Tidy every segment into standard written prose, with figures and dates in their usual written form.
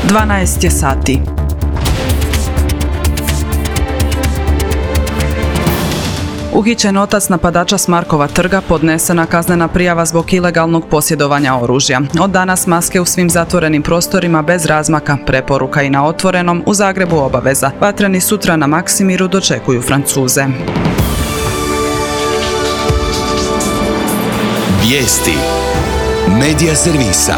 12 je sati. Uhićen otac napadača s Markova trga, podnesena kaznena prijava zbog ilegalnog posjedovanja oružja. Od danas maske u svim zatvorenim prostorima bez razmaka, preporuka i na otvorenom, u Zagrebu obaveza. Vatreni sutra na Maksimiru dočekuju Francuze. Vijesti Medija servisa.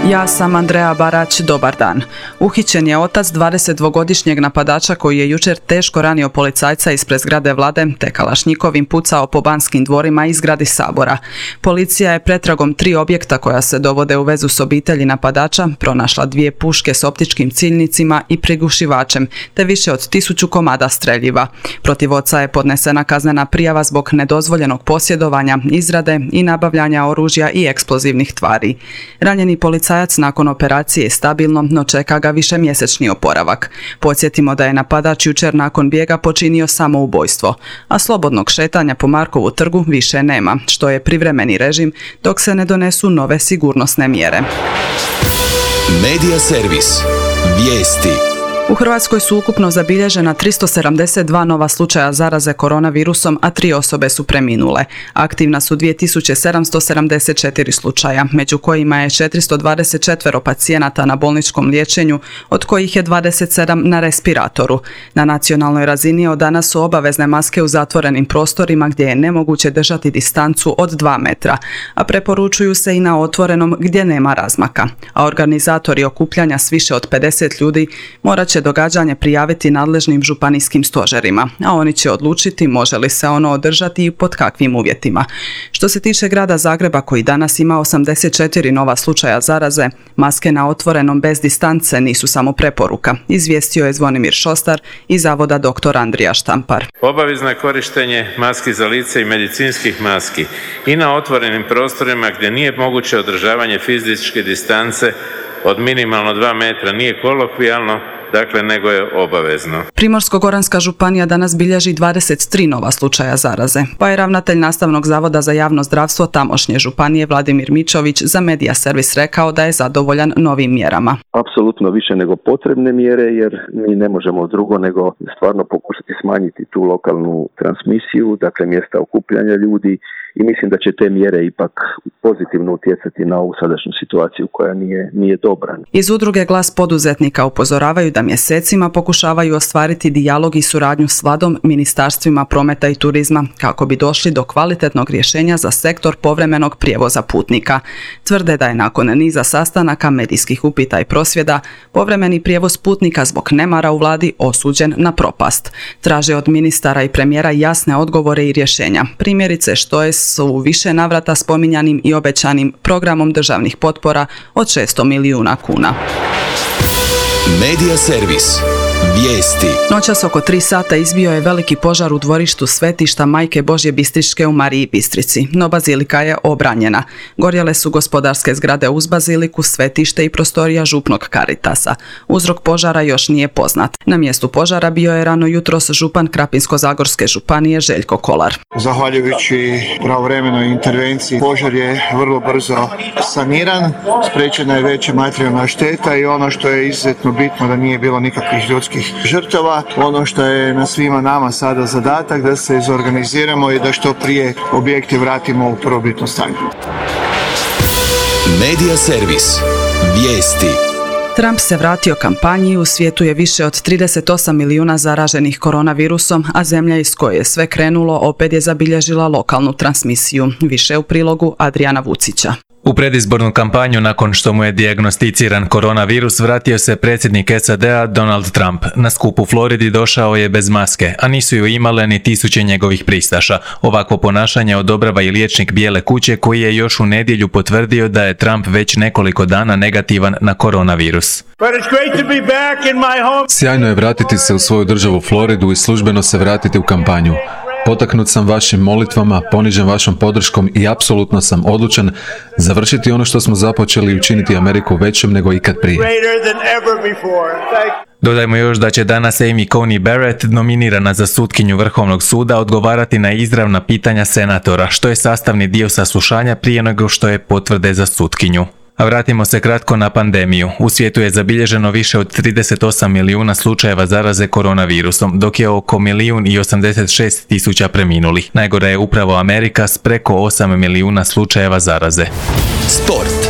Ja sam Andrea Barać, dobar dan. Uhićen je otac 22-godišnjeg napadača koji je jučer teško ranio policajca ispred zgrade Vlade te kalašnjikovim pucao po Banskim dvorima i zgradi Sabora. Policija je pretragom 3 objekta koja se dovode u vezu s obitelji napadača pronašla 2 puške s optičkim ciljnicima i prigušivačem te više od 1000 komada streljiva. Protiv oca je podnesena kaznena prijava zbog nedozvoljenog posjedovanja, izrade i nabavljanja oružja i eksplozivnih tvari. Ranjeni policajac nakon operacije je stabilno, no čeka ga višemjesečni oporavak. Podsjetimo da je napadač jučer nakon bijega počinio samoubojstvo, a slobodnog šetanja po Markovu trgu više nema, što je privremeni režim dok se ne donesu nove sigurnosne mjere. Medija servis. Vijesti. U Hrvatskoj su ukupno zabilježena 372 nova slučaja zaraze koronavirusom, a 3 osobe su preminule. Aktivna su 2774 slučaja, među kojima je 424 pacijenata na bolničkom liječenju, od kojih je 27 na respiratoru. Na nacionalnoj razini od danas su obavezne maske u zatvorenim prostorima gdje je nemoguće držati distancu od 2 metra, a preporučuju se i na otvorenom gdje nema razmaka. A organizatori okupljanja s više od 50 ljudi morat će događanje prijaviti nadležnim županijskim stožerima, a oni će odlučiti može li se ono održati i pod kakvim uvjetima. Što se tiče grada Zagreba, koji danas ima 84 nova slučaja zaraze, maske na otvorenom bez distance nisu samo preporuka, izvijestio je Zvonimir Šostar iz Zavoda dr. Andrija Štampar. Obavezno je korištenje maski za lice i medicinskih maski i na otvorenim prostorima gdje nije moguće održavanje fizičke distance od minimalno 2 metra, nije kolokvijalno, dakle, nego je obavezno. Primorsko-goranska županija danas bilježi 23 nova slučaja zaraze, pa je ravnatelj Nastavnog zavoda za javno zdravstvo tamošnje županije Vladimir Mičović za Medija servis rekao da je zadovoljan novim mjerama. Apsolutno više nego potrebne mjere, jer mi ne možemo drugo nego stvarno pokušati smanjiti tu lokalnu transmisiju, dakle mjesta okupljanja ljudi, i mislim da će te mjere ipak pozitivno utjecati na ovu sadašnju situaciju koja nije dobra. Iz udruge Glas poduzetnika upozoravaju da mjesecima pokušavaju ostvariti dijalog i suradnju s vladom, ministarstvima prometa i turizma kako bi došli do kvalitetnog rješenja za sektor povremenog prijevoza putnika. Tvrde da je nakon niza sastanaka, medijskih upita i prosvjeda, povremeni prijevoz putnika zbog nemara u vladi osuđen na propast. Traže od ministara i premijera jasne odgovore i rješenja. Primjerice što je s u više navrata spominjanim i obećanim programom državnih potpora od 600 milijuna kuna. Medija servis. Vijesti. Noćas oko 3 sata izbio je veliki požar u dvorištu svetišta Majke Božje Bistričke u Mariji Bistrici, no bazilika je obranjena. Gorjele su gospodarske zgrade uz baziliku, svetište i prostorija župnog Karitasa. Uzrok požara još nije poznat. Na mjestu požara bio je rano jutros župan Krapinsko-zagorske županije Željko Kolar. Zahvaljujući pravovremenoj intervenciji požar je vrlo brzo saniran, spriječena je veća materijalna šteta i ono što je izuzetno bitno da nije bilo nikakvih ljudskih žrtava. Ono što je na svima nama sada zadatak da se izorganiziramo i da što prije objekte vratimo u prvobitno stanje. Medija servis. Vijesti. Trump se vratio kampanji, u svijetu je više od 38 milijuna zaraženih koronavirusom, a zemlja iz koje je sve krenulo opet je zabilježila lokalnu transmisiju. Više u prilogu Adriana Vucića. U predizbornu kampanju nakon što mu je dijagnosticiran koronavirus vratio se predsjednik SAD-a Donald Trump. Na skup u Floridi došao je bez maske, a nisu ju imale ni tisuće njegovih pristaša. Ovakvo ponašanje odobrava i liječnik Bijele kuće koji je još u nedjelju potvrdio da je Trump već nekoliko dana negativan na koronavirus. Sjajno je vratiti se u svoju državu Floridu i službeno se vratiti u kampanju. Potaknut sam vašim molitvama, ponižen vašom podrškom i apsolutno sam odlučan završiti ono što smo započeli i učiniti Ameriku većom nego ikad prije. Dodajmo još da će danas Amy Coney Barrett, nominirana za sutkinju Vrhovnog suda, odgovarati na izravna pitanja senatora, što je sastavni dio saslušanja prije nego što je potvrde za sutkinju. A vratimo se kratko na pandemiju. U svijetu je zabilježeno više od 38 milijuna slučajeva zaraze koronavirusom, dok je oko 1.086.000 preminulih. Najgora je upravo Amerika s preko 8 milijuna slučajeva zaraze. Sport.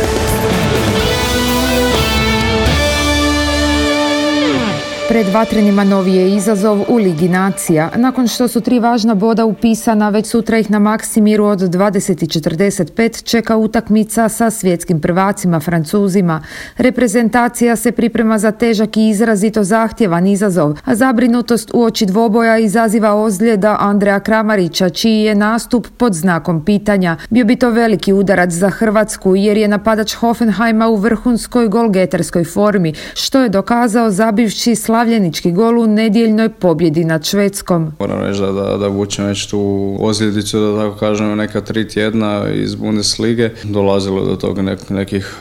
Pred Vatrenima novi je izazov u Ligi nacija. Nakon što su 3 važna boda upisana, već sutra ih na Maksimiru od 20:45 čeka utakmica sa svjetskim prvacima Francuzima. Reprezentacija se priprema za težak i izrazito zahtjevan izazov, a zabrinutost uoči dvoboja izaziva ozljeda Andreja Kramarića, čiji je nastup pod znakom pitanja. Bio bi to veliki udarac za Hrvatsku, jer je napadač Hoffenheima u vrhunskoj golgeterskoj formi, što je dokazao zabivši slavljenički gol u nedjeljnoj pobjedi nad Švedskom. Moram reći da vučem već tu ozljedicu, da tako kažem, neka 3 tjedna iz Bundeslige. Dolazilo do toga nekih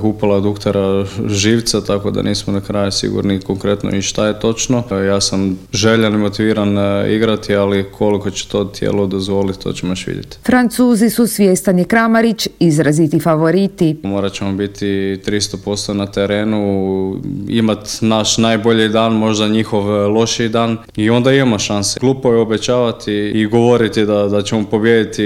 upala duktera živca, tako da nismo na kraju sigurni konkretno i šta je točno. Ja sam željan i motiviran igrati, ali koliko će to tijelo dozvoliti, to ćemo još vidjeti. Francuzi su, svjestan je Kramarić, izraziti favoriti. Morat ćemo biti 300% na terenu, imati naš najbolji dan, možda njihov lošiji dan, i onda imamo šanse. Glupo je obećavati i govoriti da ćemo pobijediti,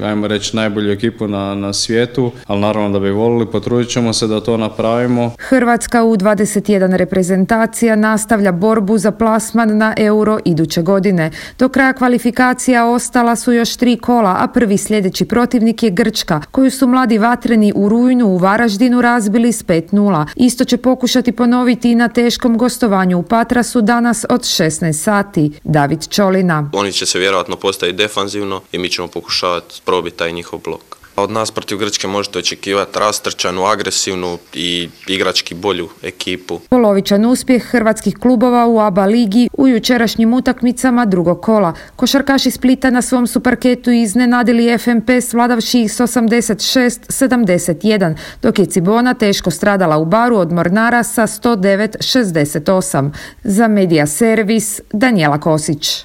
ajmo reći, najbolju ekipu na svijetu, ali naravno da bi volili, potrudit ćemo se da to napravimo. Hrvatska U21 reprezentacija nastavlja borbu za plasman na Euro iduće godine. Do kraja kvalifikacija ostala su još 3 kola, a prvi sljedeći protivnik je Grčka, koju su mladi Vatreni u rujnu u Varaždinu razbili s 5:0. Isto će pokušati ponoviti i na teškom gostovanju u Patrasu danas od 16 sati. David Čolina. Oni će se vjerojatno postaviti defanzivno i mi ćemo pokušavati probiti taj njihov blok. Od nas protiv Grčke možete očekivati rastrčanu, agresivnu i igrački bolju ekipu. Polovičan uspjeh hrvatskih klubova u ABA ligi u jučerašnjim utakmicama drugog kola. Košarkaši Splita na svom su parketu iznenadili FNP svladavši ih s 86-71, dok je Cibona teško stradala u Baru od Mornara sa 109-68. Za Medija Servis, Danijela Kosić.